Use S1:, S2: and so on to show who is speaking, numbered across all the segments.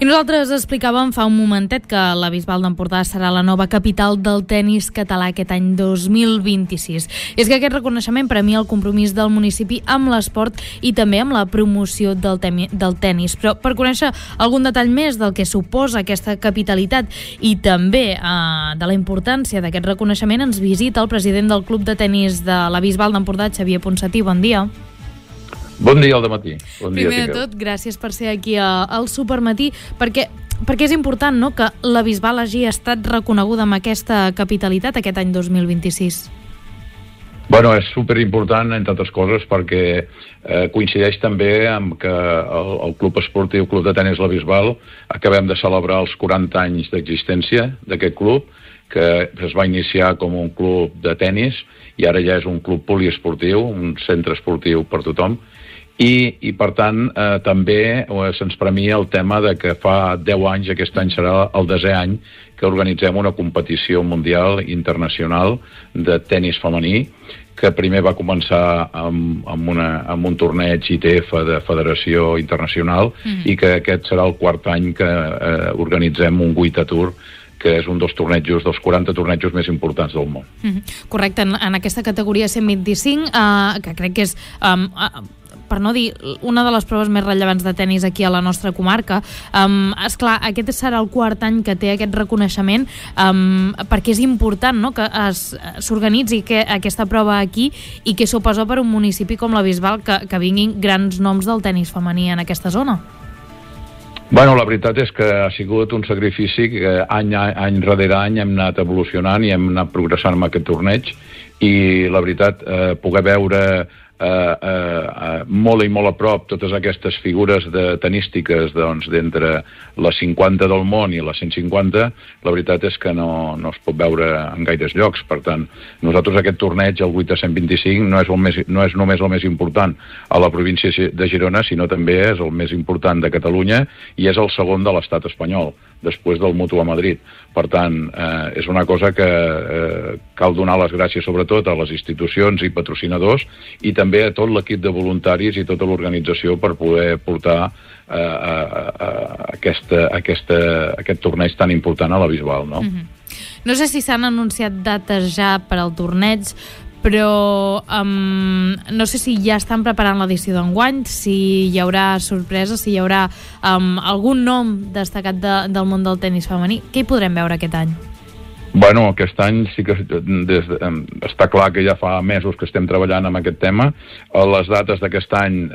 S1: nosaltres explicàvem fa un momentet que la Bisbal d'Empordà serà la nova capital del tennis català aquest any 2026. És que aquest reconeixement premia el compromís del municipi amb l'esport i també amb la promoció del tennis. Però per conèixer algun detall més del que suposa aquesta capitalitat i també de la importància d'aquest reconeixement, ens visita el president del Club de Tenis de la Bisbal d'Empordà, Xavier Ponsatí. Bon dia.
S2: Bon dia al dematí.
S1: Primer de tot, gràcies per ser aquí al Supermatí, perquè és important, no?, que la Bisbal hagi estat reconeguda amb aquesta capitalitat aquest any 2026.
S2: Bueno, és superimportant, entre altres coses, perquè coincideix també amb que el Club Esportiu Club de Tenis La Bisbal acabem de celebrar els 40 anys d'existència d'aquest club, que es va iniciar com un club de tenis i ara ja és un club poliesportiu, un centre esportiu per tothom. I per tant, també se'ns premia el tema de que fa 10 anys, aquest any serà el 10è any, que organitzem una competició mundial internacional de tenis femení, que primer va començar amb un torneig ITF de Federació Internacional i que aquest serà el 4è any que organitzem un Guita Tour, que és un dels 40 tornejos més importants del món.
S1: Correcte, en aquesta categoria 125, que crec que és, per no dir, una de les proves més rellevants de tennis aquí a la nostra comarca. Esclar, aquest serà el 4è any que té aquest reconeixement, perquè és important, no?, que s'organitzi aquesta prova aquí i que suposa per un municipi com la Bisbal que vinguin grans noms del tennis femení en aquesta zona.
S2: Bueno, la veritat és que ha sigut un sacrifici que any rere any hem anat evolucionant i hem anat progressant amb aquest torneig, i la veritat, poder veure molt i molt a prop totes aquestes figures tenístiques d'entre les 50 del món i les 150, la veritat és que no es pot veure en gaires llocs. Per tant, nosaltres aquest torneig, el 8 a 125, no és només el més important a la província de Girona, sinó també és el més important de Catalunya i és el segon de l'estat espanyol, després del Mutu a Madrid. Per tant, és una cosa que cal donar les gràcies sobretot a les institucions i patrocinadors i també a tot l'equip de voluntaris i tota l'organització per poder portar aquest torneig tan important a la Bisbal, no?
S1: No sé si s'han anunciat dates ja per al torneig, però no sé si ja estan preparant l'edició d'enguany, si hi haurà sorpreses, si hi haurà algun nom destacat del món del tenis femení. Què hi podrem veure aquest any?
S2: Bueno, aquest any sí que està clar que ja fa mesos que estem treballant amb aquest tema. Les dates d'aquest any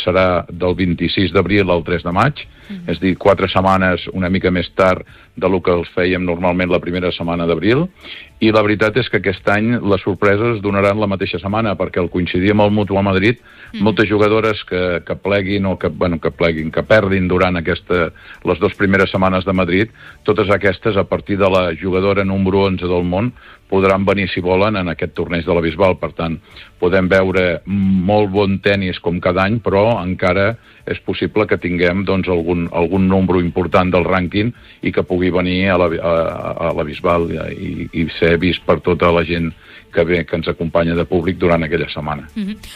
S2: serà del 26 d'abril al 3 de maig, és a dir, 4 setmanes una mica més tard del que els fèiem normalment la primera setmana d'abril, i la veritat és que aquest any les sorpreses es donaran la mateixa setmana, perquè al coincidir amb el Mutu a Madrid, moltes jugadores que pleguin o que perdin durant les 2 primeres setmanes de Madrid, totes aquestes, a partir de la jugadora número 11 del món, podran venir, si volen, en aquest torneig de la Bisbal. Per tant, podem veure molt bon tenis com cada any, però encara és possible que tinguem algun número important del rànquing i que pugui venir a la Bisbal i ser vist per tota la gent que ens acompanya de públic durant aquella setmana.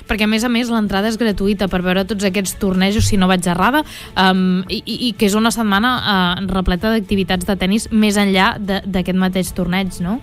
S1: Perquè, a més, l'entrada és gratuïta per veure tots aquests tornejos, si no vaig errada, i que és una setmana repleta d'activitats de tenis més enllà d'aquest mateix torneig, no?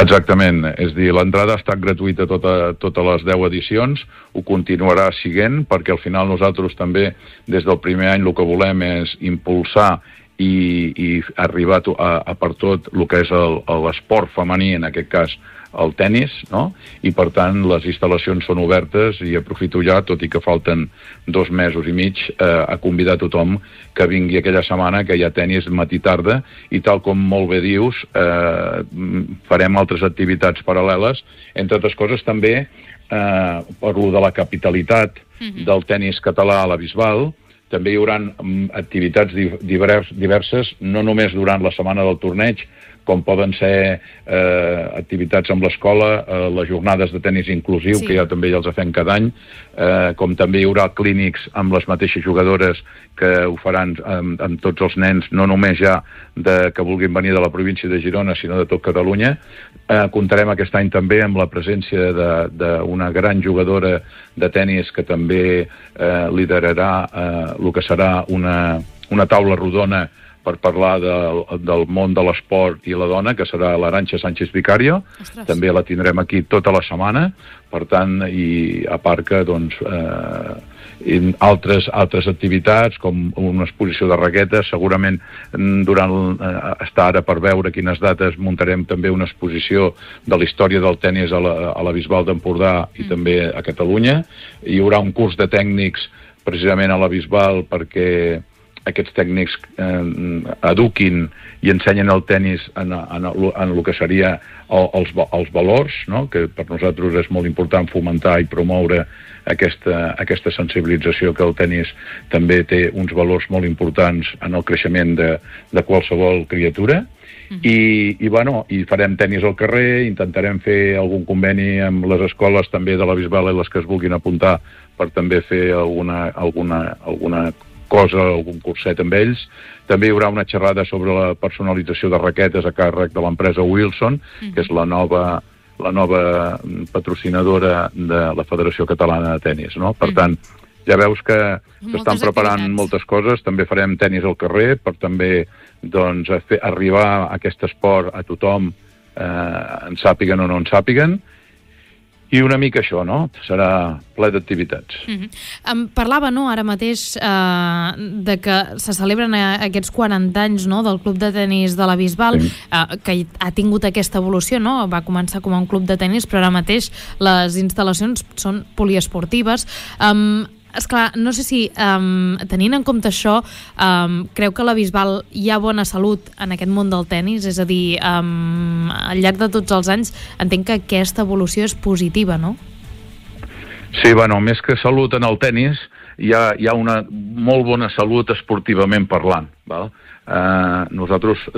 S2: Exactament, és a dir, l'entrada ha estat gratuïta totes les 10 edicions, ho continuarà siguent, perquè al final nosaltres també, des del primer any, el que volem és impulsar i arribar a per tot el que és l'esport femení, en aquest cas el tennis, no? I per tant les instal·lacions són obertes i aprofito ja, tot i que falten 2 mesos i mig, a convidar tothom que vingui aquella setmana, que hi ha tennis matí-tarda, i tal com molt bé dius, farem altres activitats paral·leles. Entre altres coses també, per lo de la capitalitat del tennis català a la Bisbal, també hi haurà activitats diverses, no només durant la setmana del torneig, com poden ser activitats amb l'escola, les jornades de tenis inclusiu, que ja també ja els fem cada any, com també hi haurà clínics amb les mateixes jugadores que ho faran amb tots els nens, no només ja que vulguin venir de la província de Girona, sinó de tot Catalunya. Comptarem aquest any també amb la presència d'una gran jugadora de tenis que també liderarà el que serà una taula rodona per parlar del món de l'esport i la dona, que serà l'Arantxa Sánchez Vicario.
S1: Ostres.
S2: També la tindrem aquí tota la setmana, per tant, i a part que, doncs, altres activitats, com una exposició de raquetes, segurament està ara per veure quines dates muntarem també una exposició de la història del tenis a la Bisbal d'Empordà i també a Catalunya. Hi haurà un curs de tècnics precisament a la Bisbal perquè aquests tècnics eduquin i ensenyen el tenis en el que seria els valors, no? Que per nosaltres és molt important fomentar i promoure aquesta sensibilització, que el tenis també té uns valors molt importants en el creixement de qualsevol criatura. I farem tenis al carrer, intentarem fer algun conveni amb les escoles també de la Bisbal i les que es vulguin apuntar per també fer alguna cosa, algun curset amb ells. També hi haurà una xerrada sobre la personalització de raquetes a càrrec de l'empresa Wilson, que és la nova patrocinadora de la Federació Catalana de Tenis, no? Per tant, ja veus que s'estan preparant moltes coses. També farem tenis al carrer per també, doncs, fer arribar aquest esport a tothom, en sàpiguen o no en sàpiguen. I una mica això, no? Serà ple d'activitats.
S1: Em parlava, no, ara mateix de que se celebren aquests 40 anys, no, del Club de Tenis de la Bisbal, que ha tingut aquesta evolució, no? Va començar com a un club de tenis, però ara mateix les instal·lacions són poliesportives. Esclar, no sé si, tenint en compte això, creu que a la Bisbal hi ha bona salut en aquest món del tenis? És a dir, al llarg de tots els anys entenc que aquesta evolució és positiva, no?
S2: Sí, més que salut en el tenis, hi ha una molt bona salut esportivament parlant, val? Nosaltres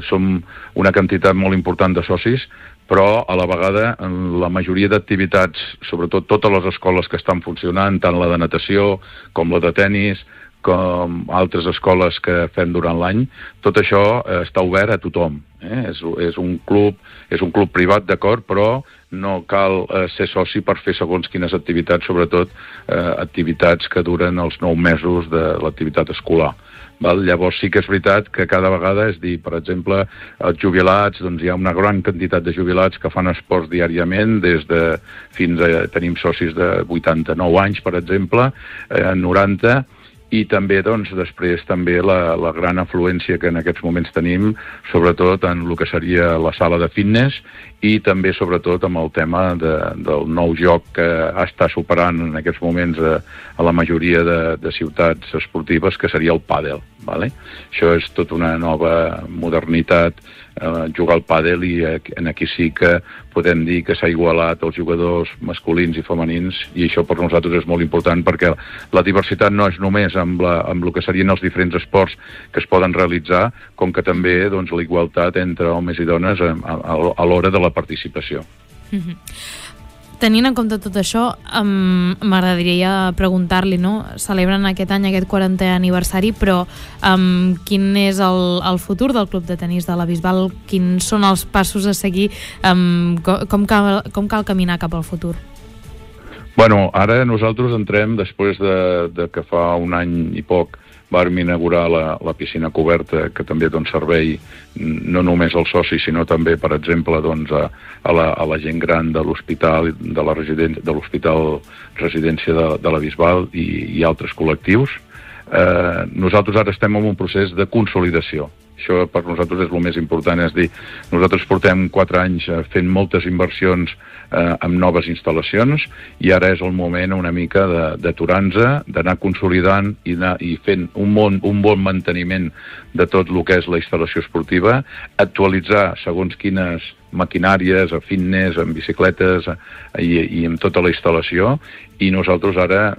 S2: som una quantitat molt important de socis, però a la vegada en la majoria d'activitats, sobretot totes les escoles que estan funcionant, tant la de natació com la de tenis, com altres escoles que fem durant l'any, tot això està obert a tothom. És un club privat, d'acord, però no cal ser soci per fer segons quines activitats, sobretot activitats que duren els 9 mesos de l'activitat escolar. Llavors sí que és veritat que cada vegada, és dir, per exemple, els jubilats, doncs hi ha una gran quantitat de jubilats que fan esports diàriament, fins a tenim socis de 89 anys, per exemple, 90, i també, doncs, després també la gran afluència que en aquests moments tenim, sobretot en el que seria la sala de fitness i també, sobretot, amb el tema del nou joc que està superant en aquests moments a la majoria de ciutats esportives, que seria el pàdel. Això és tota una nova modernitat, jugar al pàdel, i aquí sí que podem dir que s'ha igualat els jugadors masculins i femenins, i això per nosaltres és molt important, perquè la diversitat no és només amb el que serien els diferents esports que es poden realitzar, com que també, doncs, la igualtat entre homes i dones a l'hora de la participació.
S1: Tenint en compte tot això, m'agradaria preguntar-li, no? Celebren aquest any aquest 40è aniversari, però quin és el futur del Club de Tenis de la Bisbal? Quins són els passos a seguir? Com cal caminar cap al futur?
S2: Ara nosaltres entrem, després de que fa un any i poc vam inaugurar la piscina coberta, que també dona servei no només als socis, sinó també, per exemple, a la gent gran de l'hospital, de l'hospital residència de la Bisbal i altres col·lectius. Nosaltres ara estem en un procés de consolidació. Això per nosaltres és el més important, és dir, nosaltres portem 4 anys fent moltes inversions amb noves instal·lacions, i ara és el moment una mica d'aturar-nos, d'anar consolidant i fent un bon manteniment de tot el que és la instal·lació esportiva, actualitzar segons quines maquinàries, a fitness, en bicicletes i amb tota la instal·lació, i nosaltres ara,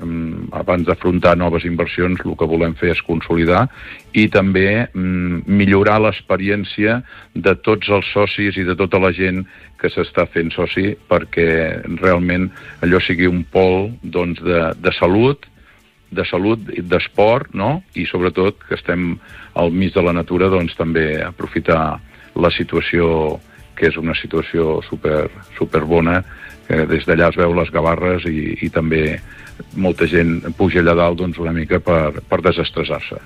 S2: abans d'afrontar noves inversions, el que volem fer és consolidar i també millorar l'experiència de tots els socis i de tota la gent que s'està fent soci, perquè realment allò sigui un pol, doncs, de salut, d'esport, no? I sobretot que estem al mig de la natura, doncs també aprofitar la situació, que és una situació super bona, des d'allà es veu les gavarres i també molta gent puja allà dalt doncs, una mica per desestressar-se.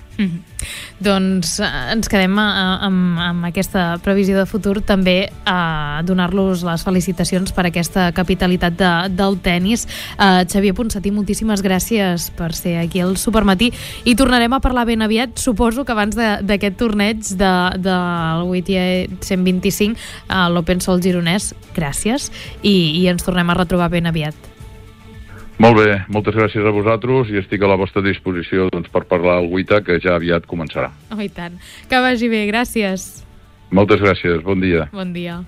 S1: Doncs ens quedem amb aquesta previsió de futur, també a donar-los les felicitacions per aquesta capitalitat del tennis. Xavier Ponsatí, moltíssimes gràcies per ser aquí al Supermatí i tornarem a parlar ben aviat, suposo que abans d'aquest torneig del WTA 125 a l'Open Sol Gironès. Gràcies i ens tornem a retrobar ben aviat.
S2: Molt bé, moltes gràcies a vosaltres i estic a la vostra disposició doncs, per parlar al WTA, que ja aviat començarà.
S1: Oh, i tant. Que vagi bé, gràcies.
S2: Moltes gràcies, bon dia.
S1: Bon dia.